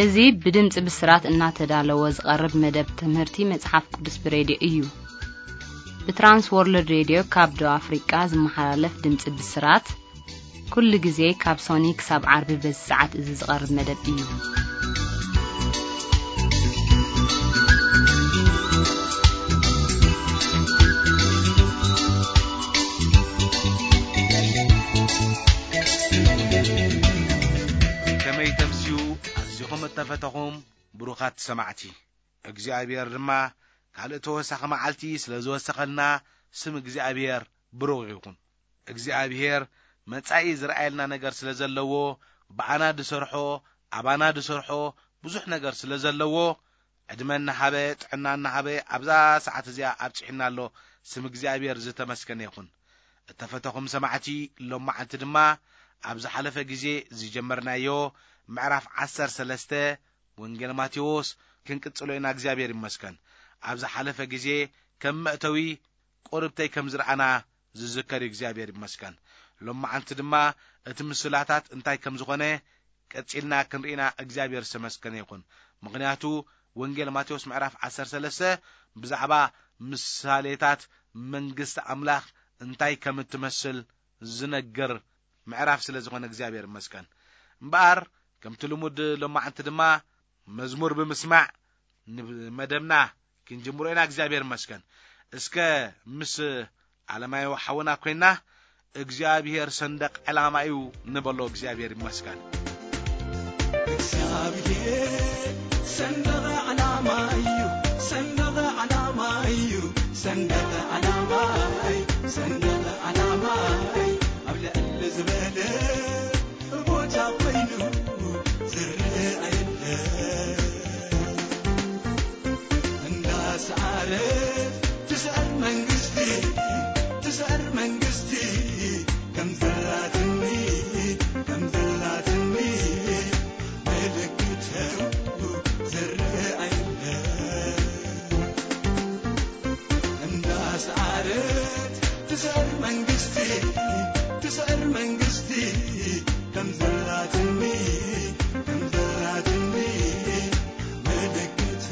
እዚ ብድምፂ ብስራት እናተዳለወ ዝቐርብ መደብ ትምህርቲ መጽሓፍ ቅዱስ ብሬድዮ እዩ። ብትራንስ ወርልድ ሬድዮ ካብ ደቡብ ኣፍሪቃ ዝመሓላለፍ ድምፂ ብስራት፣ ኩሉ ግዜ ካብ ሶኒ ክሳብ ዓርቢ በዚ ሰዓት እዚ ዝቐርብ መደብ እዩ። ከመይ ተምስዩ ኣዚኹም እተፈተኹም ብሩኻት ሰማዕቲ። እግዚኣብሔር ድማ ካልእ ተወሳኺ መዓልቲ ስለ ዝወሰኸልና ስም እግዚኣብሔር ብሩኽ ይኹን። እግዚኣብሔር መጻኢ ዝረኣየልና ነገር ስለ ዘለዎ፣ ብኣና ዝሰርሖ፣ ኣባና ዝሰርሖ ብዙሕ ነገር ስለ ዘለዎ፣ ዕድመ እናሃበ፣ ጥዕና እናሃበ ኣብዛ ሰዓት እዚኣ ኣብጺሑና ኣሎ። ስም እግዚኣብሔር ዝተመስገነ ይኹን። እተፈተኹም ሰማዕቲ፣ ሎማዓንቲ ድማ ኣብ ዝሓለፈ ግዜ ዝጀመርናዮ ምዕራፍ ዓሰርተ ሰለስተ ወንጌል ማቴዎስ ክንቅጽሎ ኢና። እግዚኣብሔር ይመስገን። ኣብ ዝሓለፈ ግዜ ከም መእተዊ ቁርብተይ ከም ዝረኣና ዝዝከር እዩ። እግዚኣብሔር ይመስገን። ሎማዓንቲ ድማ እቲ ምስላታት እንታይ ከም ዝኾነ ቀጺልና ክንርኢና እግዚኣብሔር ዝተመስገነ ይኹን። ምኽንያቱ ወንጌል ማቴዎስ ምዕራፍ ዓሰርተ ሰለስተ ብዛዕባ ምሳሌታት መንግስቲ ኣምላኽ እንታይ ከም እትመስል ዝነግር ምዕራፍ ስለ ዝኾነ እግዚኣብሔር ይመስገን። እምበኣር ከምቲ ልሙድ ሎማዓንቲ ድማ መዝሙር ብምስማዕ ንመደብና ክንጅምሮ ኢና። እግዚኣብሔር ይመስገን። እስከ ምስ ዓለማዊ ሓውና ኮይና እግዚኣብሔር ሰንደቕ ዕላማ እዩ ንበሎ። እግዚኣብሔር ይመስገን። እግዚኣብሔር ሰንደቕ ዕላማ እዩ፣ ሰንደቕ ዕላማ እዩ፣ ሰንደቕ ዕላማ እዩ፣ ሰንደቕ ዕላማ እዩ። ኣብ ልዕሊ ዝበለ ቦታ ኮይኑ ዝረአ የለን። እንዳሰዓረት ትስዕር መንግስቲ፣ ትስዕር መንግስቲ፣ ከም ዘላትኒ፣ ከም ዘላትኒ፣ ምልክት ዝረአ የለን። እንዳሰዓረት ትስዕር መንግስቲ፣ ትስዕር መንግስቲ፣ ከም ዘላትኒ፣ ከም ዘላትኒ፣ ምልክት።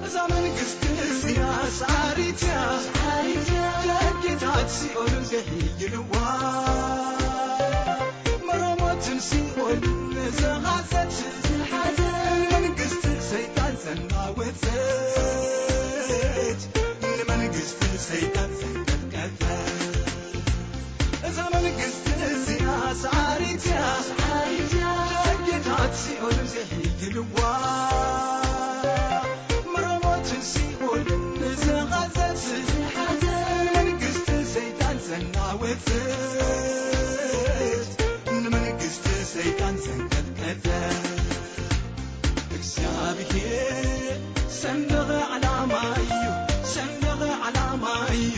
እዛ መንግስቲ እዚኣ ሰዓሪት እያ፣ ደጌታት ሲኦል ዘይሕይልዋ። መረሞትን ሲኦልን ዝሓዘት፣ መንግስቲ ሰይጣን ዘናወጸት፣ ንመንግስቲ ሰይጣን ዘንቀጥቀጠት። እዛ መንግስቲ እዚኣ ሰዓሪት እያ፣ ደጌታት ሲኦል ዘይሕይልዋ። መረሞትን ሲኦልን ዝሓዘት፣ መንግስቲ ሰይጣን ዘናወጸት፣ ንመንግስቲ ሰይጣን ዘንቀጥቀጠት። እግዚኣብሔር ሰንደቕ ዓላማ እዩ፣ ሰንደቕ ዓላማ እዩ፣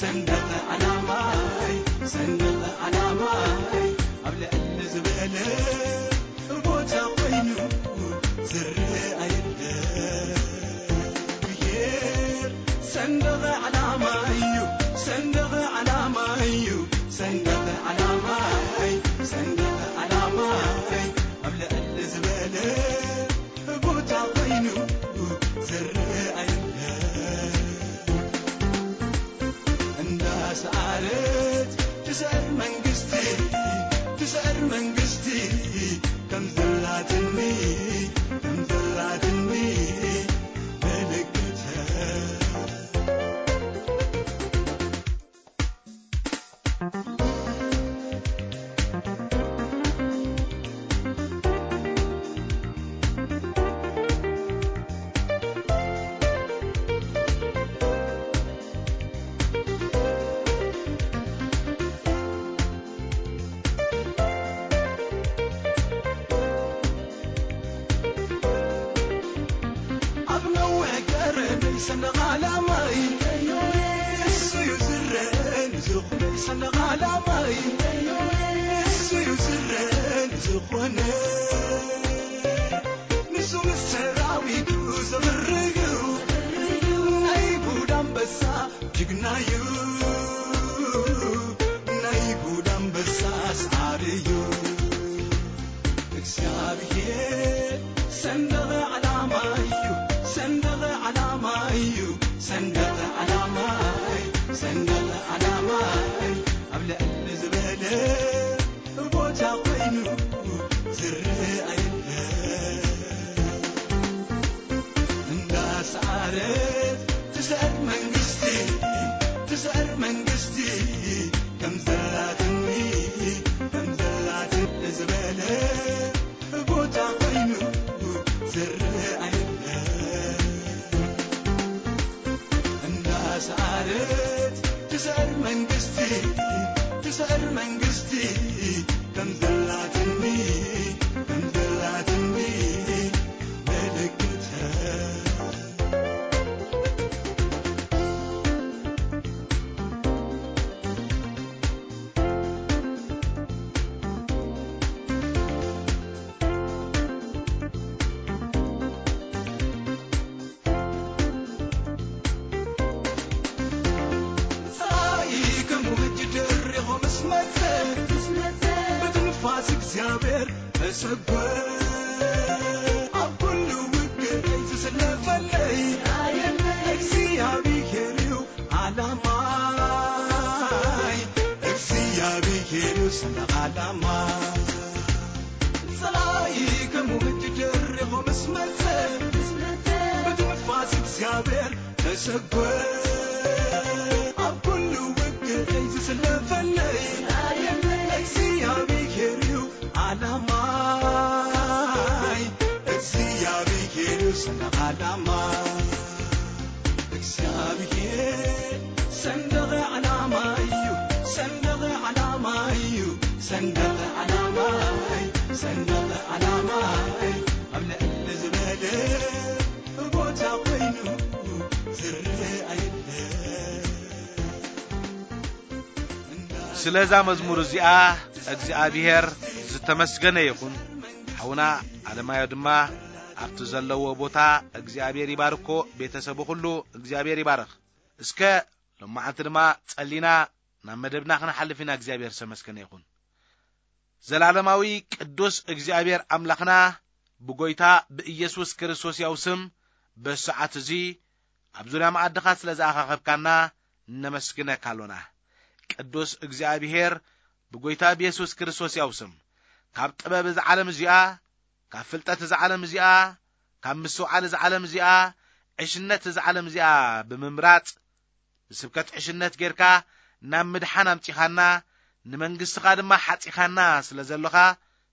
ሰንደቕ ዓላማ እዩ፣ ሰንደቕ ዓላማ እዩ። ኣብ ልዕሊ ዝበለ ቦታ ኮይኑ ዝረአ የለን። ብሄር ሰንደቕ ዓላማ እዩ፣ ሰንደቕ ዓላማ እዩ፣ ሰንደቕ ዓላማ እዩ፣ ሰንደቕ ዓላማ እዩ። ኣብ ልዕሊ ዝበለ ቦታ ኮይኑ ዝረአ የለን። እንዳሰዓረት ትስዕር መንግስቲ፣ ትስዕር መንግስቲ፣ ከም ዘላትኒ፣ ከም ዘላትኒ ምልክት። ኣብ ነዊሕ ገረበይ ሰንደቕ ዓላማይ፣ እሱ እዩ ዝረአ ንዝኹነይ ሰንደቕ ዓላማይ፣ እሱ ንሱ ምስ ሰራዊቱ ዘምርዩ ናይ ይሁዳ ኣንበሳ ጅግናዩ፣ ናይ ይሁዳ ኣንበሳ ሰዓርዩ። እግዚኣብሔር ሰንደቕ ዓላማዩ፣ ሰንደቕ ዓላማዩ፣ ሰንደቕ ዓላማይ፣ ሰንደቕ ዓላማይ ኣብ ልዕሊ ዝበለ ቦታ ኮይኑ ዝረኣየለ። እንዳሰዓረት ትስዕር መንግስቲ፣ ትስዕር መንግስቲ ከም ዘላትኒ፣ ከም ዘላትኒ ዝበለ ቦታ ኮይኑ ዝረኣየለ። እንዳሰዓረት ትስዕር መንግስቲ፣ ትስዕር መንግስቲ ከም ዘላትኒ፣ ከም ዘላትኒ ምልክተ። ጸላኢ ከም ውጅድር ኢኹ ምስ መጸ፣ ምስ መጸ፣ ብትንፋስ እግዚኣብሔር ተሰጎ። ኣብ ኩሉ ውግእ ዝስለፈለይ እግዚኣብሔር እዩ ዓላማይ፣ እግዚኣብሔር እዩ ሰንደቕ ዓላማይ። ጸላኢ ከም ውጅድር ኢኹ ምስ መጸ፣ ብትንፋስ እግዚኣብሔር ተሰጎ። ኣብ ኩሉ ውግእ ዝስለፈለይ እግዚኣብሔር እዩ ዓላማይ፣ እግዚኣብሔር እዩ ሰንደቕ ዓላማይ። እግዚኣብሔር ሰንደቕ ዓላማይ እዩ፣ ሰንደቕ ዓላማይ እዩ፣ ሰንደቕ ዓላማይ፣ ሰንደቕ ዓላማይ ኣብ ልዕሊ ዝበለ ቦታ ኮይኑ ዝረኣየለ። ስለዛ መዝሙር እዚኣ እግዚኣብሔር ዝተመስገነ ይኹን። ሓውና ኣለማዮ ድማ ኣብቲ ዘለዎ ቦታ እግዚኣብሔር ይባርኮ፣ ቤተሰቡ ኩሉ እግዚኣብሔር ይባርኽ። እስከ ሎማዓንቲ ድማ ጸሊና ናብ መደብና ክንሓልፍ ኢና። እግዚኣብሔር ዝተመስገነ ይኹን። ዘላለማዊ ቅዱስ እግዚኣብሔር ኣምላኽና ብጎይታ ብኢየሱስ ክርስቶስ ያው ስም በሰዓት እዚ ኣብ ዙርያ መኣድኻ ስለ ዝኣኻኸብካና ነመስግነካ ኣሎና። ቅዱስ እግዚኣብሔር ብጎይታ ብየሱስ ክርስቶስ ያው ስም ካብ ጥበብ እዛ ዓለም እዚኣ፣ ካብ ፍልጠት እዛ ዓለም እዚኣ፣ ካብ ምስትውዓል እዛ ዓለም እዚኣ፣ ዕሽነት እዛ ዓለም እዚኣ ብምምራጽ ብስብከት ዕሽነት ጌርካ ናብ ምድሓን ኣምጺኻና፣ ንመንግስትኻ ድማ ሓጺኻና ስለ ዘሎኻ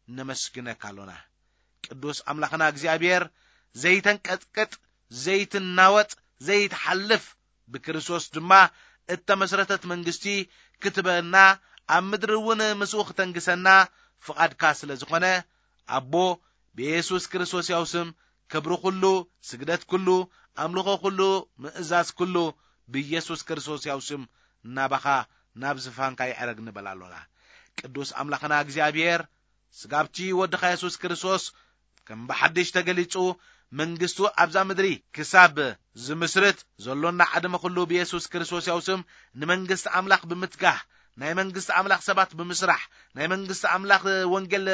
ነመስግነካ ኣሎና። ቅዱስ ኣምላኽና እግዚኣብሔር ዘይተንቀጥቅጥ፣ ዘይትናወጥ፣ ዘይትሓልፍ ብክርስቶስ ድማ እተመስረተት መንግስቲ ክትበና ኣብ ምድሪ እውን ምስኡ ክተንግሰና ፍቓድካ ስለ ዝኾነ ኣቦ ብየሱስ ክርስቶስ ያው ስም ክብሪ ኩሉ፣ ስግደት ኩሉ፣ ኣምልኾ ኩሉ፣ ምእዛዝ ኩሉ ብየሱስ ክርስቶስ ያው ስም ናባኻ ናብ ዝፋንካ ይዕረግ ንበል ኣሎና። ቅዱስ ኣምላኽና እግዚኣብሔር ስጋብቲ ወድኻ የሱስ ክርስቶስ ከም ብሓድሽ ተገሊጹ መንግስቱ ኣብዛ ምድሪ ክሳብ ዝምስርት ዘሎና ዓድመ ኩሉ ብየሱስ ክርስቶስ ያው ስም ንመንግስቲ ኣምላኽ ብምትጋህ ናይ መንግስቲ ኣምላኽ ሰባት ብምስራሕ ናይ መንግስቲ ኣምላኽ ወንጌል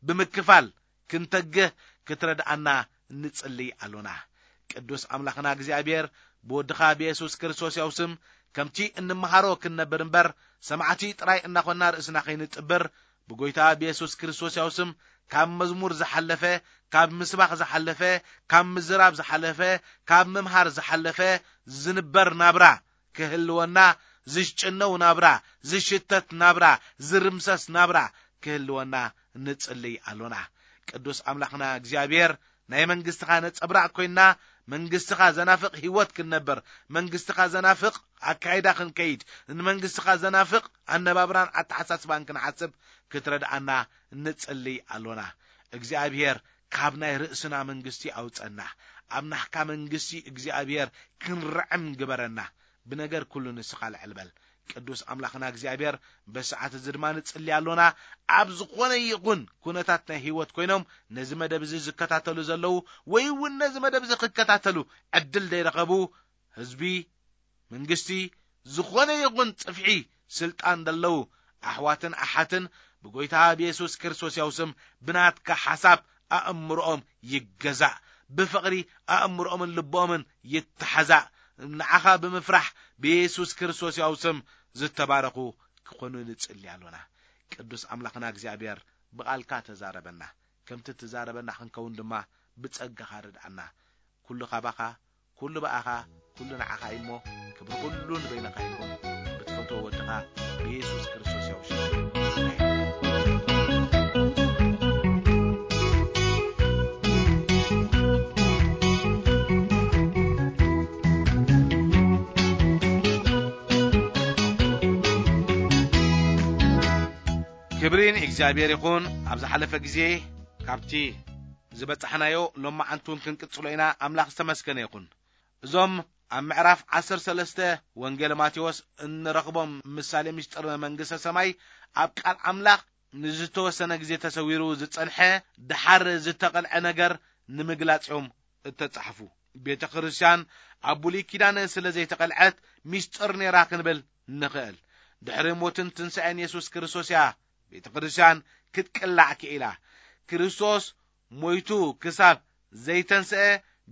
ብምክፋል ክንተግህ ክትረድኣና ንጽልይ ኣሎና። ቅዱስ ኣምላኽና እግዚኣብሔር ብወድኻ ብየሱስ ክርስቶስ ያው ስም ከምቲ እንመሃሮ ክንነብር እምበር ሰማዕቲ ጥራይ እናኾንና ርእስና ከይንጥብር ብጎይታ ብየሱስ ክርስቶስ ያው ስም ካብ መዝሙር ዝሓለፈ ካብ ምስባኽ ዝሓለፈ ካብ ምዝራብ ዝሓለፈ ካብ ምምሃር ዝሓለፈ ዝንበር ናብራ ክህልወና ዝሽጭነው ናብራ ዝሽተት ናብራ ዝርምሰስ ናብራ ክህልወና ንጽልይ ኣሎና። ቅዱስ ኣምላኽና እግዚኣብሔር ናይ መንግስትኻ ነጸብራቕ ኮይንና መንግስትኻ ዘናፍቕ ህይወት ክንነብር መንግስትኻ ዘናፍቕ ኣካይዳ ክንከይድ ንመንግስትኻ ዘናፍቕ ኣነባብራን ኣተሓሳስባን ክንሓስብ ክትረድኣና ንጽልይ ኣሎና። እግዚኣብሔር ካብ ናይ ርእስና መንግስቲ ኣውጸና ኣብ ናህካ መንግስቲ እግዚኣብሔር ክንርዕም ግበረና። ብነገር ኩሉ ንስኻ ልዕል በል። ቅዱስ ኣምላኽና እግዚኣብሔር፣ በሰዓት እዚ ድማ ንጽሊ ኣሎና። ኣብ ዝኾነ ይኹን ኩነታት ናይ ህይወት ኮይኖም ነዚ መደብ እዚ ዝከታተሉ ዘለዉ ወይ እውን ነዚ መደብ እዚ ክከታተሉ ዕድል ዘይረኸቡ ህዝቢ፣ መንግስቲ፣ ዝኾነ ይኹን ጽፍሒ ስልጣን ዘለዉ ኣሕዋትን ኣሓትን ብጎይታ ብየሱስ ክርስቶስ ያው ስም ብናትካ ሓሳብ ኣእምሮኦም ይገዛእ። ብፍቕሪ ኣእምሮኦምን ልቦኦምን ይተሓዛእ። ንዓኻ ብምፍራሕ ብየሱስ ክርስቶስ ያው ስም ዝተባረኹ ክኾኑ ንጽሊ ኣሎና። ቅዱስ ኣምላኽና እግዚኣብሔር ብቓልካ ተዛረበና። ከምቲ ትዛረበና ክንከውን ድማ ብጸጋኻ ርድኣና። ኩሉ ካባኻ፣ ኩሉ ብኣኻ፣ ኩሉ ንዓኻ እዩ እሞ፣ ክብሪ ኩሉ ንበይንኻ ይኹን። ብትፈትዎ ወድኻ ብየሱስ ክርስቶስ ያው ሽም። ክብሪ ንእግዚኣብሔር ይኹን። ኣብ ዝሓለፈ ግዜ ካብቲ ዝበጻሕናዮ ሎማዓንቲ እውን ክንቅጽሎ ኢና። ኣምላኽ ዝተመስገነ ይኹን። እዞም ኣብ ምዕራፍ ዓሰርተ ሰለስተ ወንጌል ማቴዎስ እንረኽቦም ምሳሌ ምስጢር መንግስተ ሰማይ ኣብ ቃል ኣምላኽ ንዝተወሰነ ግዜ ተሰዊሩ ዝጸንሐ፣ ደሓር ዝተቐልዐ ነገር ንምግላጽ እዮም እተጻሕፉ። ቤተ ክርስቲያን ኣብ ብሉይ ኪዳን ስለ ዘይተቐልዐት ምስጢር ነይራ ክንብል ንኽእል። ድሕሪ ሞትን ትንሳኤን የሱስ ክርስቶስ እያ ቤተ ክርስቲያን ክትቅላዕ ክኢላ። ክርስቶስ ሞይቱ ክሳብ ዘይተንስአ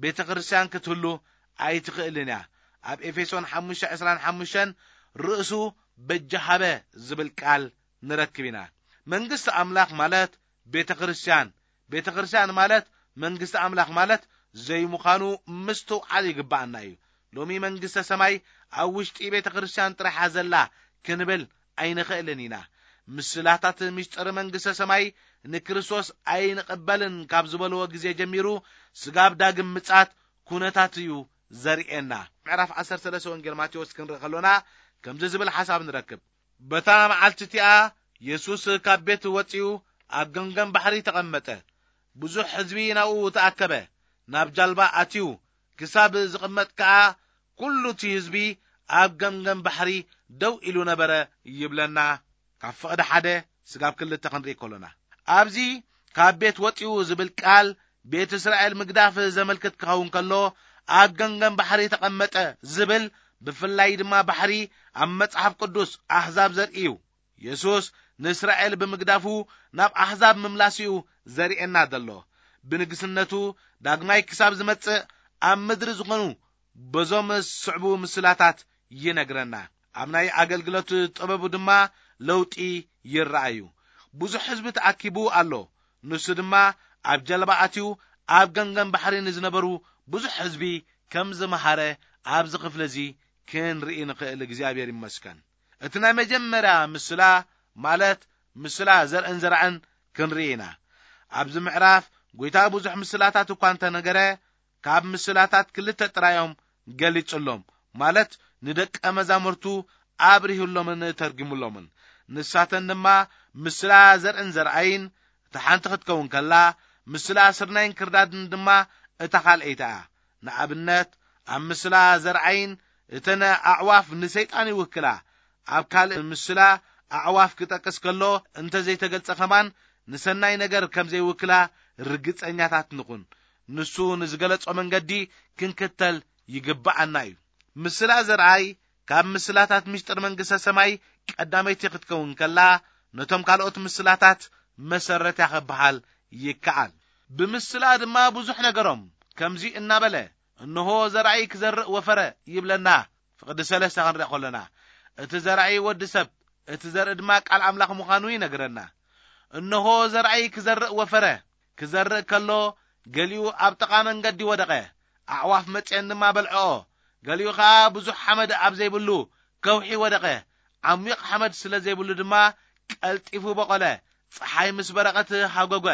ቤተ ክርስቲያን ክትህሉ ኣይትኽእልን እያ። ኣብ ኤፌሶን ሓሙሽተ ዕስራን ሓሙሽተን ርእሱ በጃ ሃበ ዝብል ቃል ንረክብ ኢና። መንግስቲ ኣምላኽ ማለት ቤተ ክርስቲያን፣ ቤተ ክርስቲያን ማለት መንግስቲ ኣምላኽ ማለት ዘይምዃኑ ምስትውዓል ይግብኣና እዩ። ሎሚ መንግስተ ሰማይ ኣብ ውሽጢ ቤተ ክርስቲያን ጥራሓ ዘላ ክንብል ኣይንኽእልን ኢና። ምስላታት ምስጢር መንግስተ ሰማይ ንክርስቶስ ኣይንቕበልን ካብ ዝበልዎ ግዜ ጀሚሩ ስጋብ ዳግም ምጻት ኩነታት እዩ ዘርእየና። ምዕራፍ ዓሰርተ ሰለስተ ወንጌል ማቴዎስ ክንርኢ ከሎና ከምዚ ዝብል ሓሳብ ንረክብ። በታ መዓልቲ እቲኣ የሱስ ካብ ቤት ወጺኡ ኣብ ገምገም ባሕሪ ተቐመጠ። ብዙሕ ህዝቢ ናብኡ ተኣከበ። ናብ ጃልባ ኣትዩ ክሳብ ዝቕመጥ ከኣ ኩሉ እቲ ህዝቢ ኣብ ገምገም ባሕሪ ደው ኢሉ ነበረ ይብለና። ካብ ፍቕዲ ሓደ ስጋብ ክልተ ክንርኢ ከሎና፣ ኣብዚ ካብ ቤት ወጺኡ ዝብል ቃል ቤት እስራኤል ምግዳፍ ዘመልክት ክኸውን ከሎ፣ ኣብ ገምገም ባሕሪ ተቐመጠ ዝብል ብፍላይ ድማ ባሕሪ ኣብ መጽሓፍ ቅዱስ ኣህዛብ ዘርኢ እዩ። የሱስ ንእስራኤል ብምግዳፉ ናብ ኣህዛብ ምምላስ እዩ ዘርእየና ዘሎ። ብንግስነቱ ዳግማይ ክሳብ ዝመጽእ ኣብ ምድሪ ዝኾኑ በዞም ዝስዕቡ ምስላታት ይነግረና። ኣብ ናይ ኣገልግሎት ጥበቡ ድማ ለውጢ ይረኣዩ። ብዙሕ ህዝቢ ተኣኪቡ ኣሎ። ንሱ ድማ ኣብ ጀልባ ኣትዩ ኣብ ገምገም ባሕሪ ንዝነበሩ ብዙሕ ህዝቢ ከም ዝመሃረ ኣብዚ ክፍሊ እዚ ክንርኢ ንኽእል። እግዚኣብሔር ይመስገን። እቲ ናይ መጀመርያ ምስላ ማለት ምስላ ዘርእን ዘራእን ክንርኢ ኢና። ኣብዚ ምዕራፍ ጐይታ ብዙሕ ምስላታት እኳ እንተነገረ፣ ካብ ምስላታት ክልተ ጥራዮም ገሊጹሎም፣ ማለት ንደቀ መዛሙርቱ ኣብሪሁሎምን ተርጉሙሎምን። ንሳተን ድማ ምስላ ዘርእን ዘርኣይን፣ እታ ሓንቲ ክትከውን ከላ፣ ምስላ ስርናይን ክርዳድን ድማ እታ ካልኣይቲ እያ። ንኣብነት፣ ኣብ ምስላ ዘርኣይን እተን ኣዕዋፍ ንሰይጣን ይውክላ። ኣብ ካልእ ምስላ ኣዕዋፍ ክጠቅስ ከሎ እንተ ዘይተገልጸ ከማን ንሰናይ ነገር ከም ዘይውክላ ርግጸኛታት ንኹን። ንሱ ንዝገለጾ መንገዲ ክንክተል ይግብኣና እዩ። ምስላ ዘርኣይ ካብ ምስላታት ምስጢር መንግስተ ሰማይ ቀዳመይቲ ክትከውን ከላ፣ ነቶም ካልኦት ምስላታት መሰረት እያ ክበሃል ይከኣል። ብምስላ ድማ ብዙሕ ነገሮም ከምዚ እናበለ፣ "እንሆ ዘራእይ ክዘርእ ወፈረ" ይብለና። ፍቕዲ ሰለስተ ክንርኢ ከሎና፣ እቲ ዘራእይ ወዲ ሰብ፣ እቲ ዘርኢ ድማ ቃል ኣምላኽ ምዃኑ ይነግረና። "እንሆ ዘራእይ ክዘርእ ወፈረ። ክዘርእ ከሎ፣ ገሊኡ ኣብ ጥቓ መንገዲ ወደቐ፣ ኣዕዋፍ መጺአን ድማ በልዐኦ። ገሊኡ ኸኣ ብዙሕ ሓመድ ኣብ ዘይብሉ ከውሒ ወደቐ። ዓሚቕ ሓመድ ስለ ዘይብሉ ድማ ቀልጢፉ በቖለ። ጸሓይ ምስ በረቐት ሃጎገ፣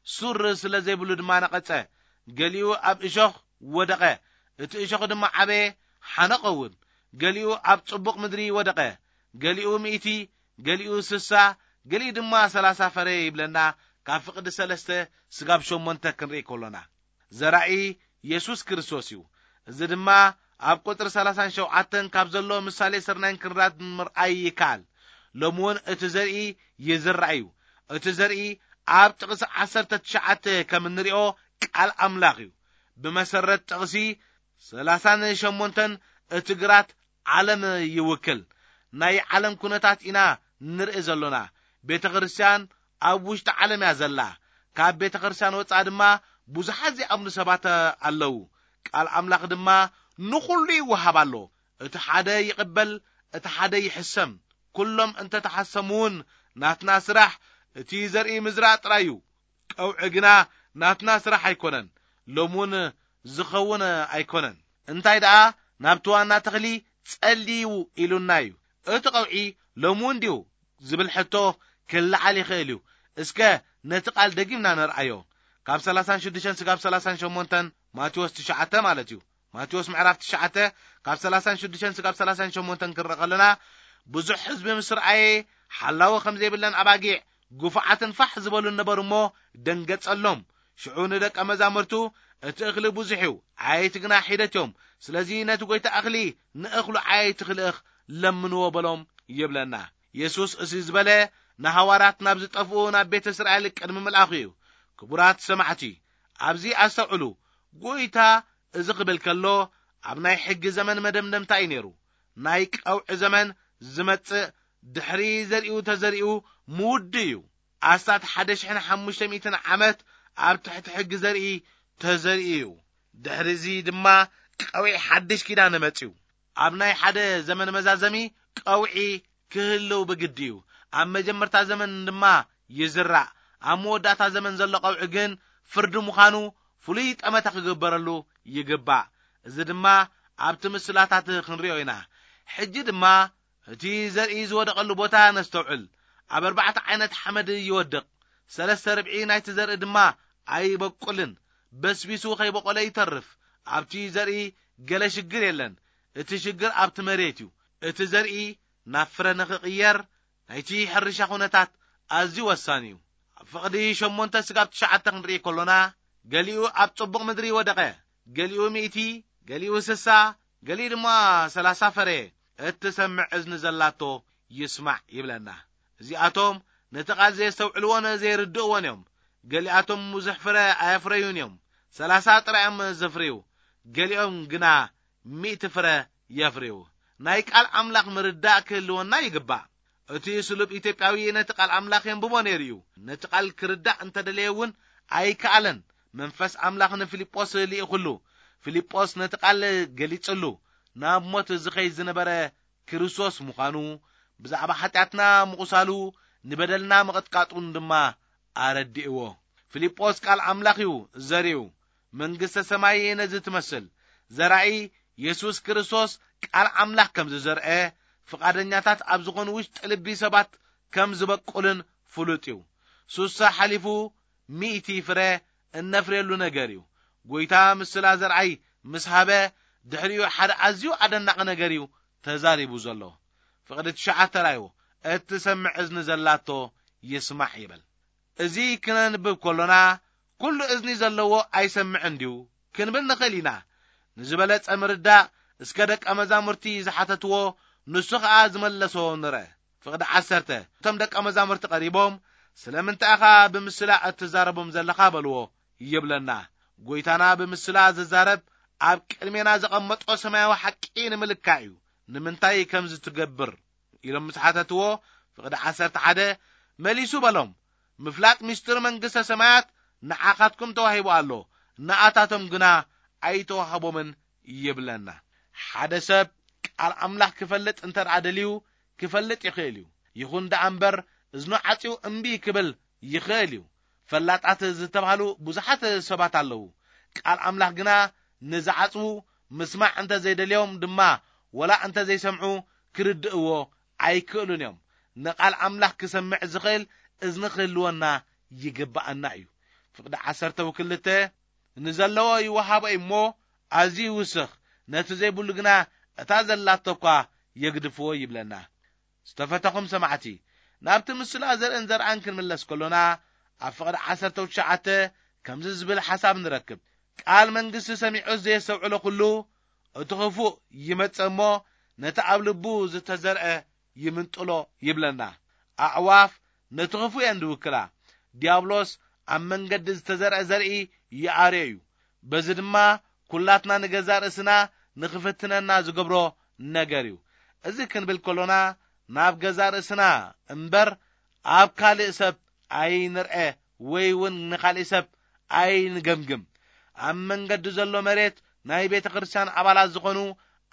ሱር ስለ ዘይብሉ ድማ ነቐጸ። ገሊኡ ኣብ እሾኽ ወደቐ፣ እቲ እሾኽ ድማ ዓበየ፣ ሓነቐ እውን። ገሊኡ ኣብ ጽቡቕ ምድሪ ወደቐ፣ ገሊኡ ሚእቲ፣ ገሊኡ ስሳ፣ ገሊኡ ድማ ሰላሳ ፈረ" ይብለና። ካብ ፍቕዲ ሰለስተ ስጋብ ሸሞንተ ክንርኢ ከሎና፣ ዘራኢ የሱስ ክርስቶስ እዩ። እዚ ድማ ኣብ ቁጽሪ ሰላሳን ሸውዓተን ካብ ዘሎ ምሳሌ ስርናይን ክንራድ ምርኣይ ይከኣል። ሎሚ እውን እቲ ዘርኢ ይዝራእ እዩ። እቲ ዘርኢ ኣብ ጥቕሲ ዓሰርተ ትሽዓተ ከም እንሪኦ ቃል ኣምላኽ እዩ። ብመሰረት ጥቕሲ ሰላሳን ሸሞንተን እቲ ግራት ዓለም ይውክል። ናይ ዓለም ኩነታት ኢና ንርኢ ዘሎና። ቤተ ክርስቲያን ኣብ ውሽጢ ዓለም እያ ዘላ። ካብ ቤተ ክርስቲያን ወጻኢ ድማ ብዙሓት ዘይኣምኑ ሰባት ኣለዉ። ቃል ኣምላኽ ድማ ንኹሉ ይወሃብ ኣሎ። እቲ ሓደ ይቕበል፣ እቲ ሓደ ይሕሰም። ኩሎም እንተተሓሰሙ እውን ናትና ስራሕ እቲ ዘርኢ ምዝራእ ጥራይ እዩ። ቀውዒ ግና ናትና ስራሕ ኣይኮነን። ሎሚ እውን ዝኸውን ኣይኮነን። እንታይ ደኣ ናብቲ ዋና ተኽሊ ጸልዩ ኢሉና እዩ። እቲ ቀውዒ ሎሚ እውን ድዩ ዝብል ሕቶ ክለዓል ይኽእል እዩ። እስከ ነቲ ቃል ደጊምና ነርኣዮ። ካብ ሰላሳን ሽዱሽተን ስጋብ ሰላሳን ሸሞንተን ማቴዎስ ትሽዓተ ማለት እዩ። ማቴዎስ ምዕራፍ ትሽዓተ ካብ ሰላሳን ሽዱሽተን ስጋብ ሰላሳን ሸሞንተን ክንርኢ ከለና፣ ብዙሕ ህዝቢ ምስ ረኣየ ሓላዊ ከም ዘይብለን ኣባጊዕ ግፉዓትን ፋሕ ዝበሉን ነበሩ እሞ ደንገጸሎም። ሽዑ ንደቀ መዛሙርቱ፣ "እቲ እኽሊ ብዙሕ እዩ፣ ዓየይቲ ግና ሒደት እዮም። ስለዚ ነቲ ጐይታ እኽሊ ንእኽሉ ዓየይቲ ክልእኽ ለምንዎ" በሎም ይብለና። የሱስ እዚ ዝበለ ንሃዋርያት ናብ ዝጠፍኡ ናብ ቤተ እስራኤል ቅድሚ ምልኣኹ እዩ። ክቡራት ሰማዕቲ፣ ኣብዚ ኣስተውዕሉ። ጐይታ እዚ ክብል ከሎ ኣብ ናይ ሕጊ ዘመን መደምደምታ እዩ ነይሩ። ናይ ቀውዒ ዘመን ዝመጽእ ድሕሪ ዘሪኡ ተዘሪኡ ምውዲ እዩ። ኣስታት ሓደ ሽሕን ሓሙሽተ ሚእትን ዓመት ኣብ ትሕቲ ሕጊ ዘርኢ ተዘሪኡ እዩ። ድሕሪዚ ድማ ቀውዒ ሓድሽ ኪዳን መጽዩ። ኣብ ናይ ሓደ ዘመን መዛዘሚ ቀውዒ ክህልው ብግዲ እዩ። ኣብ መጀመርታ ዘመን ድማ ይዝራእ። ኣብ መወዳእታ ዘመን ዘሎ ቀውዒ ግን ፍርዲ ምዃኑ ፍሉይ ጠመተ ክግበረሉ ይግባእ። እዚ ድማ ኣብቲ ምስላታት ክንሪኦ ኢና። ሕጂ ድማ እቲ ዘርኢ ዝወደቐሉ ቦታ ነስተውዕል። ኣብ ኣርባዕተ ዓይነት ሓመድ ይወድቕ። ሰለስተ ርብዒ ናይቲ ዘርኢ ድማ ኣይበቁልን፣ በስቢሱ ከይበቆለ ይተርፍ። ኣብቲ ዘርኢ ገለ ሽግር የለን። እቲ ሽግር ኣብቲ መሬት እዩ። እቲ ዘርኢ ናብ ፍረ ንኽቕየር ናይቲ ሕርሻ ኩነታት ኣዝዩ ወሳኒ እዩ። ኣብ ፍቕዲ ሸሞንተ ስጋብ ትሽዓተ ክንርኢ ከሎና፣ ገሊኡ ኣብ ጽቡቕ ምድሪ ወደቐ፣ ገሊኡ ሚእቲ፣ ገሊኡ ስሳ፣ ገሊኡ ድማ ሰላሳ ፈረየ። እትሰምዕ እዝኒ ዘላቶ ይስማዕ ይብለና። እዚኣቶም ነቲ ቃል ዘየስተውዕልዎን ዘይርድእዎን እዮም። ገሊኣቶም ብዙሕ ፍረ ኣየፍረዩን እዮም፣ ሰላሳ ጥራይ እዮም ዘፍርዩ። ገሊኦም ግና ሚእቲ ፍረ የፍርዩ። ናይ ቃል ኣምላኽ ምርዳእ ክህልወና ይግባእ። እቲ ስሉብ ኢትዮጵያዊ ነቲ ቃል ኣምላኽ የንብቦ ነይሩ እዩ። ነቲ ቃል ክርዳእ እንተደለየ እውን ኣይከኣለን። መንፈስ ኣምላኽ ንፊልጶስ ልኢኹሉ። ፊልጶስ ነቲ ቃል ገሊጽሉ። ናብ ሞት ዝኸይድ ዝነበረ ክርስቶስ ምዃኑ፣ ብዛዕባ ሓጢኣትና ምቑሳሉ፣ ንበደልና ምቕጥቃጡን ድማ ኣረዲእዎ። ፊልጶስ ቃል ኣምላኽ እዩ ዘሪኡ። መንግስተ ሰማይ ነዚ ትመስል። ዘራኢ የሱስ ክርስቶስ ቃል ኣምላኽ ከም ዝዘርአ፣ ፍቓደኛታት ኣብ ዝኾኑ ውሽጢ ልቢ ሰባት ከም ዝበቁልን ፍሉጥ እዩ። ሱሳ ሓሊፉ ሚእቲ ፍረ እነፍርየሉ ነገር እዩ። ጐይታ ምስላ ዘርኣይ ምስ ሃበ፣ ድሕሪኡ ሓደ ኣዝዩ ኣደናቒ ነገር እዩ ተዛሪቡ ዘሎ። ፍቕዲ ትሽዓተ ራእይዎ፣ "እትሰምዕ እዝኒ ዘላቶ ይስማዕ" ይብል። እዚ ክነንብብ ከሎና፣ "ኩሉ እዝኒ ዘለዎ ኣይሰምዕን ድዩ?" ክንብል ንኽእል ኢና። ንዝበለጸ ምርዳእ፣ እስከ ደቀ መዛሙርቲ ዝሓተትዎ፣ ንሱ ኸኣ ዝመለሶ ንርአ። ፍቕዲ ዓሰርተ፣ እቶም ደቀ መዛሙርቲ ቀሪቦም፣ "ስለምንታይ ኢኻ ብምስላ እትዛረቦም ዘለኻ?" በልዎ ይብለና። ጐይታና ብምስላ ዝዛረብ ኣብ ቅድሜና ዘቐመጦ ሰማያዊ ሓቂ ንምልካዕ እዩ። "ንምንታይ ከምዚ ትገብር?" ኢሎም ምስ ሓተትዎ፣ ፍቕዲ ዓሰርተ ሓደ መሊሱ በሎም፣ "ምፍላጥ ምስጢር መንግስተ ሰማያት ንዓኻትኩም ተዋሂቡ ኣሎ፣ ንኣታቶም ግና ኣይተዋህቦምን" ይብለና። ሓደ ሰብ ቃል ኣምላኽ ክፈልጥ እንተ ደኣ ደልዩ፣ ክፈልጥ ይኽእል እዩ። ይኹን ደኣ እምበር፣ እዝኑ ዓጽዩ እምቢ ክብል ይኽእል እዩ። ፈላጣት ዝተባህሉ ብዙሓት ሰባት ኣለዉ። ቃል ኣምላኽ ግና ንዝዓጽዉ፣ ምስማዕ እንተ ዘይደልዮም ድማ፣ ወላ እንተ ዘይሰምዑ፣ ክርድእዎ ኣይክእሉን እዮም። ንቃል ኣምላኽ ክሰምዕ ዝኽእል እዝኒ ክህልወና ይግብኣና እዩ። ፍቕዲ ዓሰርተ ክልተ፣ "ንዘለዎ ይወሃቦ እዩ እሞ ኣዝዩ ይውስኽ፣ ነቲ ዘይብሉ ግና እታ ዘላቶ እኳ የግድፍዎ" ይብለና። ዝተፈተኹም ሰማዕቲ፣ ናብቲ ምስላ ዘርእን ዘርኣን ክንምለስ ከሎና፣ ኣብ ፍቕዲ ዓሰርተ ትሽዓተ ከምዚ ዝብል ሓሳብ ንረክብ፣ "ቃል መንግስቲ ሰሚዑ ዘየስተውዕሎ ኩሉ እቲ ኽፉእ ይመጽእ እሞ ነቲ ኣብ ልቡ ዝተዘርአ ይምንጥሎ ይብለና። ኣዕዋፍ ነቲ ኽፉእ እየን ዝውክላ። ዲያብሎስ ኣብ መንገዲ ዝተዘርአ ዘርኢ ይኣርዮ እዩ። በዚ ድማ ኩላትና ንገዛእ ርእስና ንኽፍትነና ዝገብሮ ነገር እዩ። እዚ ክንብል ከሎና ናብ ገዛእ ርእስና እምበር ኣብ ካልእ ሰብ ኣይንርአ ወይ እውን ንኻልእ ሰብ ኣይንገምግም። ኣብ መንገዲ ዘሎ መሬት ናይ ቤተ ክርስቲያን ኣባላት ዝኾኑ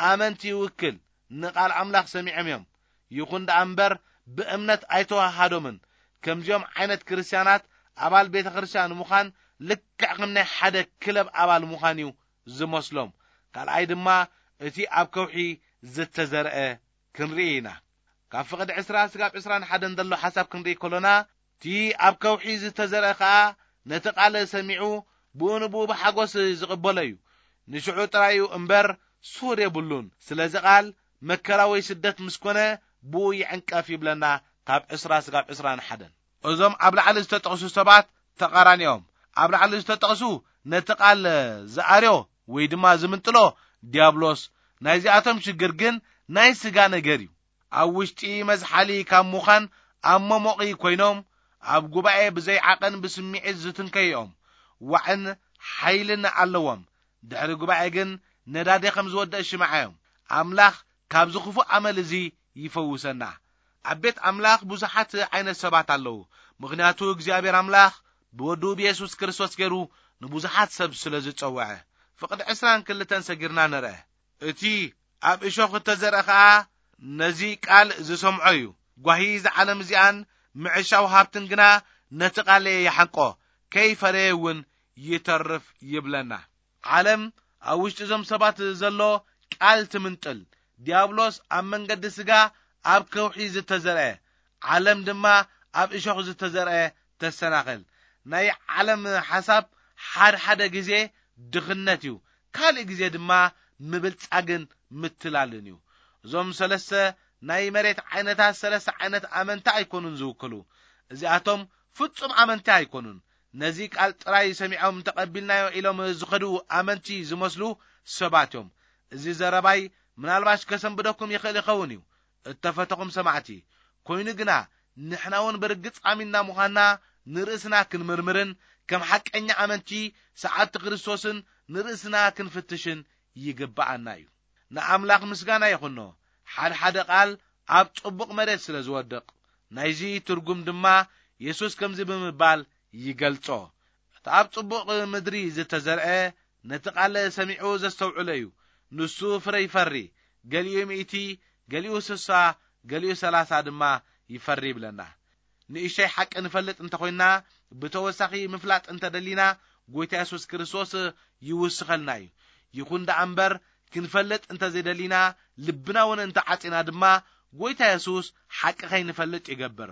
ኣመንቲ ይውክል። ንቓል ኣምላኽ ሰሚዖም እዮም። ይኹን ደኣ እምበር ብእምነት ኣይተዋሃዶምን። ከምዚኦም ዓይነት ክርስቲያናት ኣባል ቤተ ክርስቲያን ምዃን ልክዕ ከም ናይ ሓደ ክለብ ኣባል ምዃን እዩ ዝመስሎም። ካልኣይ ድማ እቲ ኣብ ከውሒ ዝተዘርአ ክንርኢ ኢና። ካብ ፍቕዲ ዕስራ ስጋብ ዕስራን ሓደን ዘሎ ሓሳብ ክንርኢ ከሎና፣ እቲ ኣብ ከውሒ ዝተዘርአ ኸኣ ነቲ ቃል ሰሚዑ ብኡ ንብኡ ብሓጎስ ዝቕበሎ እዩ። ንሽዑ ጥራይ እዩ እምበር ሱር የብሉን። ስለዚ ቃል መከራ ወይ ስደት ምስ ኮነ ብኡ ይዕንቀፍ ይብለና ካብ ዕስራ ስጋብ ዕስራን ሓደን። እዞም ኣብ ላዕሊ ዝተጠቕሱ ሰባት ተቓራኒኦም። ኣብ ላዕሊ ዝተጠቕሱ ነቲ ቃል ዝኣርዮ ወይ ድማ ዝምንጥሎ ዲያብሎስ። ናይዚኣቶም ሽግር ግን ናይ ስጋ ነገር እዩ። ኣብ ውሽጢ መዝሓሊ ካብ ምዃን ኣብ መሞቒ ኮይኖም ኣብ ጉባኤ ብዘይ ዓቐን ብስምዒት ዝትንከዩ እዮም። ዋዕን ሓይልን ኣለዎም። ድሕሪ ጉባኤ ግን ነዳዲ ከም ዝወደእ ሽምዓ እዮም። ኣምላኽ ካብዚ ክፉእ ኣመል እዚ ይፈውሰና። ኣብ ቤት ኣምላኽ ብዙሓት ዓይነት ሰባት ኣለዉ። ምኽንያቱ እግዚኣብሔር ኣምላኽ ብወዱ ብየሱስ ክርስቶስ ገይሩ ንብዙሓት ሰብ ስለ ዝጸውዐ። ፍቕዲ ዕስራን ክልተን ሰጊርና ንርአ። እቲ ኣብ እሾኽ እተዘርአ ኸኣ ነዚ ቃል ዝሰምዖ እዩ። ጓሂ እዛ ዓለም እዚኣን ምዕሻው ሃብትን ግና ነቲ ቃል ይሓንቆ፣ ከይፈረየ እውን ይተርፍ ይብለና። ዓለም ኣብ ውሽጢ እዞም ሰባት ዘሎ ቃል ትምንጥል። ዲያብሎስ ኣብ መንገዲ ስጋ ኣብ ከውሒ ዝተዘርአ፣ ዓለም ድማ ኣብ እሾኽ ዝተዘርአ ተሰናኸል። ናይ ዓለም ሓሳብ ሓድሓደ ግዜ ድኽነት እዩ፣ ካልእ ግዜ ድማ ምብልጻግን ምትላልን እዩ። እዞም ሰለስተ ናይ መሬት ዓይነታት ሰለስተ ዓይነት ኣመንቲ ኣይኮኑን ዝውክሉ። እዚኣቶም ፍጹም ኣመንቲ ኣይኮኑን። ነዚ ቃል ጥራይ ሰሚዖም ተቐቢልናዮ ኢሎም ዝኸዱ ኣመንቲ ዝመስሉ ሰባት እዮም። እዚ ዘረባይ ምናልባሽ ከሰንብደኩም ይኽእል ይኸውን እዩ፣ እተፈተኹም ሰማዕቲ። ኮይኑ ግና ንሕና እውን ብርግጽ ኣሚንና ምዃንና ንርእስና ክንምርምርን ከም ሓቀኛ ኣመንቲ ሰዓብቲ ክርስቶስን ንርእስና ክንፍትሽን ይግብኣና እዩ። ንኣምላኽ ምስጋና ይኹኖ፣ ሓድሓደ ቃል ኣብ ጽቡቕ መሬት ስለ ዝወድቕ። ናይዚ ትርጉም ድማ የሱስ ከምዚ ብምባል ይገልጾ፣ እቲ ኣብ ጽቡቕ ምድሪ ዝተዘርአ ነቲ ቃል ሰሚዑ ዘስተውዕሎ እዩ። ንሱ ፍረ ይፈሪ፣ ገሊኡ ሚእቲ፣ ገሊኡ ስሳ፣ ገሊኡ ሰላሳ ድማ ይፈሪ ይብለና። ንእሽተይ ሓቂ ንፈልጥ እንተኾይንና፣ ብተወሳኺ ምፍላጥ እንተደሊና፣ ጎይታ የሱስ ክርስቶስ ይውስኸልና እዩ። ይኹን ደኣ እምበር፣ ክንፈልጥ እንተዘይደሊና፣ ልብና እውን እንተዓጺና ድማ፣ ጎይታ የሱስ ሓቂ ከይንፈልጥ ይገብር።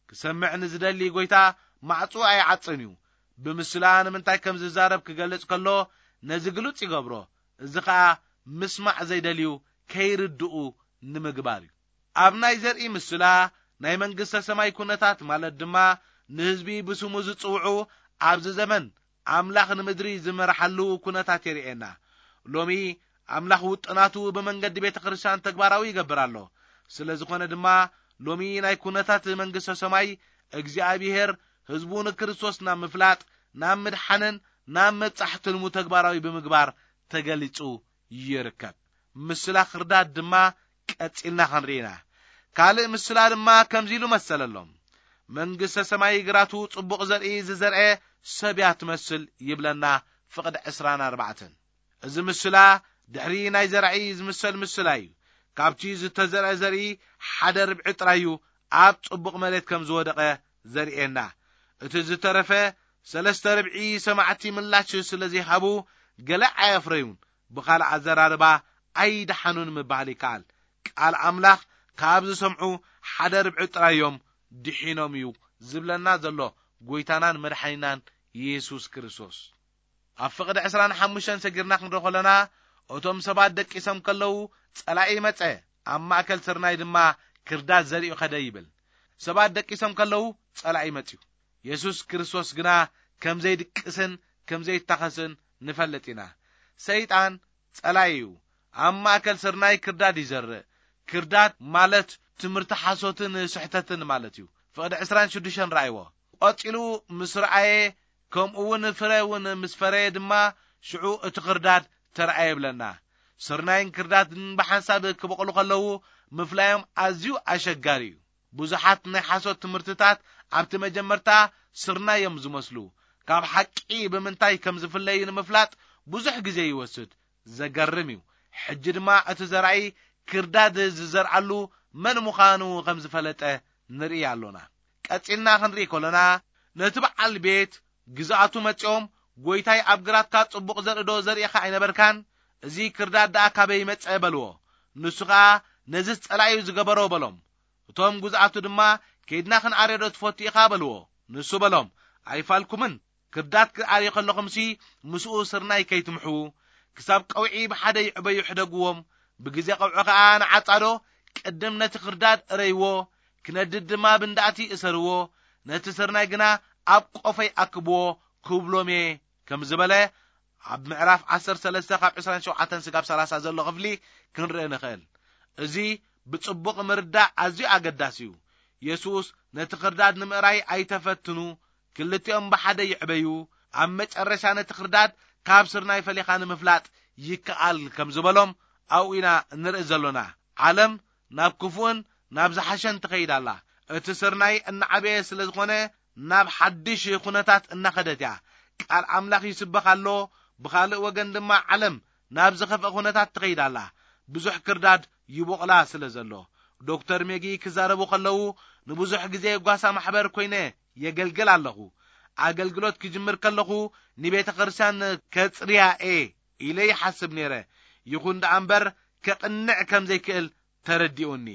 ክሰምዕ ንዝደሊ ጎይታ ማዕጹ ኣይዓጽን እዩ። ብምስላ ንምንታይ ከም ዝዛረብ ክገልጽ ከሎ፣ ነዚ ግሉጽ ይገብሮ። እዚ ኸኣ ምስማዕ ዘይደልዩ ከይርድኡ ንምግባር እዩ። ኣብ ናይ ዘርኢ ምስላ፣ ናይ መንግስተ ሰማይ ኩነታት ማለት ድማ ንህዝቢ ብስሙ ዝጽውዑ ኣብዚ ዘመን ኣምላኽ ንምድሪ ዝመርሓሉ ኩነታት የርእየና። ሎሚ ኣምላኽ ውጥናቱ ብመንገዲ ቤተ ክርስቲያን ተግባራዊ ይገብር ኣሎ። ስለ ዝኾነ ድማ ሎሚ ናይ ኩነታት መንግስተ ሰማይ እግዚኣብሔር ህዝቡ ንክርስቶስ ናብ ምፍላጥ፣ ናብ ምድሓንን ናብ መብጻሕ ትልሙ ተግባራዊ ብምግባር ተገሊጹ ይርከብ። ምስላ ክርዳድ ድማ ቀጺልና ክንርኢና። ካልእ ምስላ ድማ ከምዚ ኢሉ መሰለሎም። መንግስተ ሰማይ ግራቱ ጽቡቕ ዘርኢ ዝዘርአ ሰብ እያ ትመስል ይብለና ፍቕዲ ዕስራን ኣርባዕተን። እዚ ምስላ ድሕሪ ናይ ዘራኢ ዝምሰል ምስላ እዩ። ካብቲ ዝተዘርአ ዘርኢ ሓደ ርብዒ ጥራይ እዩ ኣብ ጽቡቕ መሬት ከም ዝወደቐ ዘርእየና። እቲ ዝተረፈ ሰለስተ ርብዒ ሰማዕቲ ምላሽ ስለ ዘይሃቡ ገለ ኣየፍረዩን። ብኻልእ ኣዘራርባ ኣይደሓኑን ምባል ይከኣል። ቃል ኣምላኽ ካብ ዝሰምዑ ሓደ ርብዒ ጥራይ እዮም ድሒኖም እዩ ዝብለና ዘሎ ጎይታናን መድሓኒናን የሱስ ክርስቶስ። ኣብ ፍቕዲ ዕስራን ሓሙሽተን ሰጊርና ክንርኢ ከለና፣ እቶም ሰባት ደቂሶም ከለዉ ጸላኢ መጸ፣ ኣብ ማእከል ስርናይ ድማ ክርዳድ ዘሪኡ ከደ ይብል። ሰባት ደቂሶም ከለዉ ጸላኢ መጽዩ። የሱስ ክርስቶስ ግና ከም ዘይድቅስን ከም ዘይታኸስን ንፈልጥ ኢና። ሰይጣን ጸላኢ እዩ። ኣብ ማእከል ስርናይ ክርዳድ ይዘርእ። ክርዳድ ማለት ትምህርቲ ሓሶትን ስሕተትን ማለት እዩ። ፍቕዲ ዕስራን ሽዱሽተን ረኣይዎ። ቀጺሉ ምስ ረኣየ፣ ከምኡ እውን ፍረ እውን ምስ ፈረየ ድማ፣ ሽዑ እቲ ክርዳድ ተረኣየ ይብለና። ስርናይን ክርዳድን ብሓንሳብ ክበቕሉ ከለዉ፣ ምፍላዮም ኣዝዩ ኣሸጋሪ እዩ። ብዙሓት ናይ ሓሶት ትምህርትታት ኣብቲ መጀመርታ ስርናይ እዮም ዝመስሉ። ካብ ሓቂ ብምንታይ ከም ዝፍለዩ ንምፍላጥ ብዙሕ ግዜ ይወስድ። ዘገርም እዩ። ሕጂ ድማ እቲ ዘራኢ ክርዳድ ዝዘርኣሉ መን ምዃኑ ከም ዝፈለጠ ንርኢ ኣሎና። ቀጺልና ክንርኢ ከሎና፣ ነቲ በዓል ቤት ግዛኣቱ መጺኦም፣ "ጐይታይ፣ ኣብ ግራትካ ጽቡቕ ዘርኢ ዶ ዘሪእኻ ኣይነበርካን? እዚ ክርዳድ ደኣ ካበይ መጸ?" በልዎ። ንሱ ኸኣ፣ "ነዚ ጸላኢኡ ዝገበሮ" በሎም። እቶም ግዛኣቱ ድማ፣ "ከይድና ክንኣርዮ ዶ ትፈቱ ኢኻ?" በልዎ። ንሱ በሎም፣ "ኣይፋልኩምን፣ ክርዳድ ክኣርዩ ከለኹምሲ ምስኡ ስርናይ ከይትምሕዉ፣ ክሳብ ቀውዒ ብሓደ ይዕበዩ ሕደግዎም። ብግዜ ቀውዒ ኸኣ ንዓጻዶ ቅድም ነቲ ክርዳድ እረይዎ፣ ክነድድ ድማ ብንዳእቲ እሰርዎ፣ ነቲ ስርናይ ግና ኣብ ቆፈይ ኣክብዎ" ክብሎም እየ ከም ዝበለ፣ ኣብ ምዕራፍ ዓሰርተ ሰለስተ ካብ ዕስራን ሸውዓተን ስጋብ ሰላሳ ዘሎ ክፍሊ ክንርኢ ንኽእል። እዚ ብጽቡቕ ምርዳእ ኣዝዩ ኣገዳሲ እዩ። የሱስ፣ "ነቲ ክርዳድ ንምእራይ ኣይተፈትኑ፣ ክልቲኦም ብሓደ ይዕበዩ፣ ኣብ መጨረሻ ነቲ ክርዳድ ካብ ስርናይ ፈሊኻ ንምፍላጥ ይከኣል" ከም ዝበሎም ኣብኡ ኢና እንርኢ ዘሎና። ዓለም ናብ ክፉእን ናብ ዝሓሸን ትኸይድ ኣላ። እቲ ስርናይ እናዓበየ ስለ ዝኾነ፣ ናብ ሓድሽ ኩነታት እናኸደት እያ። ቃል ኣምላኽ ይስበኽ ኣሎ፣ ብኻልእ ወገን ድማ ዓለም ናብ ዝኸፍአ ኩነታት ትኸይድ ኣላ። ብዙሕ ክርዳድ ይቦቕላ ስለ ዘሎ። ዶክተር ሜጊ ክዛረቡ ከለዉ፣ "ንብዙሕ ግዜ ጓሳ ማሕበር ኮይነ የገልግል ኣለኹ። ኣገልግሎት ክጅምር ከለኹ ንቤተ ክርስቲያን ከጽርያ እየ ኢለ ይሓስብ ነይረ። ይኹን ደኣ እምበር፣ ከቕንዕ ከም ዘይክእል ተረዲኡኒ።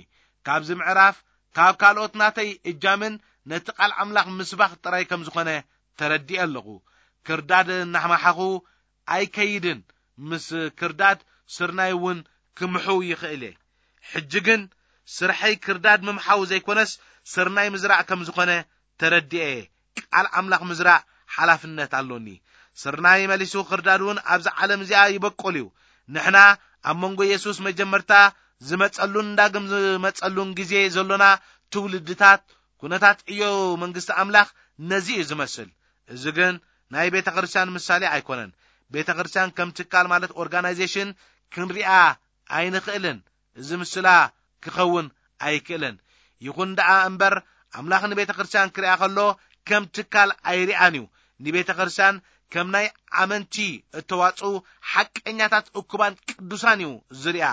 ካብዚ ምዕራፍ፣ ካብ ካልኦት ናተይ እጃምን ነቲ ቃል ኣምላኽ ምስባኽ ጥራይ ከም ዝኾነ ተረዲኤ ኣለኹ። ክርዳድ እናሕማሓኹ ኣይከይድን፣ ምስ ክርዳድ ስርናይ እውን ክምሕው ይኽእል እየ። ሕጂ ግን ስርሐይ ክርዳድ ምምሓው ዘይኮነስ፣ ስርናይ ምዝራእ ከም ዝኾነ ተረዲኤ እየ። ቃል ኣምላኽ ምዝራእ ሓላፍነት ኣሎኒ። ስርናይ መሊሱ ክርዳድ እውን ኣብዛ ዓለም እዚኣ ይበቁል እዩ። ንሕና ኣብ መንጎ የሱስ መጀመርታ ዝመጸሉን ዳግም ዝመጸሉን ግዜ ዘሎና ትውልድታት፣ ኩነታት ዕዮ መንግስቲ ኣምላኽ ነዚ እዩ ዝመስል። እዚ ግን ናይ ቤተ ክርስቲያን ምሳሌ ኣይኮነን። ቤተ ክርስቲያን ከም ትካል ማለት ኦርጋናይዜሽን ክንሪኣ ኣይንኽእልን። እዚ ምስላ ክኸውን ኣይክእልን። ይኹን ደኣ እምበር፣ ኣምላኽ ንቤተ ክርስቲያን ክሪኣ ከሎ ከም ትካል ኣይሪኣን እዩ። ንቤተ ክርስቲያን ከም ናይ ኣመንቲ እተዋጽኡ ሓቀኛታት እኩባን ቅዱሳን እዩ ዝሪኣ።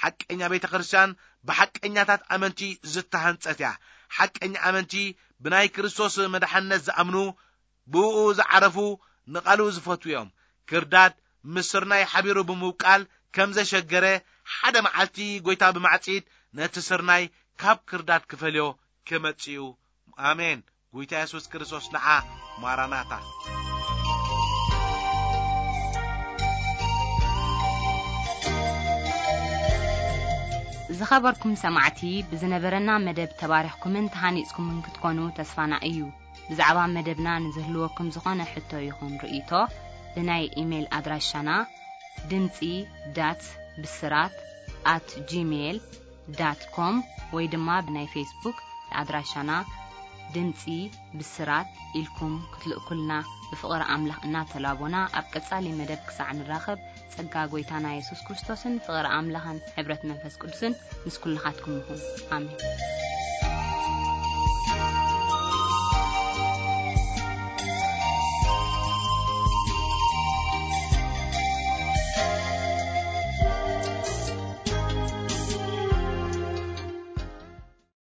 ሓቀኛ ቤተ ክርስቲያን ብሓቀኛታት ኣመንቲ ዝተሃንጸት እያ። ሓቀኛ ኣመንቲ ብናይ ክርስቶስ መድሓነት ዝኣምኑ፣ ብእኡ ዝዓረፉ፣ ንቓሉ ዝፈትዉ እዮም። ክርዳድ ምስ ስርናይ ሓቢሩ ብምብቃል ከም ዘሸገረ፣ ሓደ መዓልቲ ጐይታ ብማዕጺድ ነቲ ስርናይ ካብ ክርዳድ ክፈልዮ ክመጽእ እዩ። ኣሜን። ጐይታ የሱስ ክርስቶስ ንዓ። ማራናታ። ዝኸበርኩም ሰማዕቲ፣ ብዝነበረና መደብ ተባሪኽኩምን ተሃኒጽኩምን ክትኮኑ ተስፋና እዩ። ብዛዕባ መደብና ንዝህልወኩም ዝኾነ ሕቶ ይኹን ርእይቶ፣ ብናይ ኢሜይል ኣድራሻና ድምጺ ዳት ብስራት ኣት ጂሜይል ዳት ኮም ወይ ድማ ብናይ ፌስቡክ ኣድራሻና ድምጺ ብስራት ኢልኩም ክትልእኩልና ብፍቕሪ ኣምላኽ እናተላቦና፣ ኣብ ቀጻሊ መደብ ክሳዕ ንራኸብ፣ ጸጋ ጐይታና የሱስ ክርስቶስን ፍቕሪ ኣምላኽን ሕብረት መንፈስ ቅዱስን ምስ ኩልኻትኩም ይኹን። ኣሜን።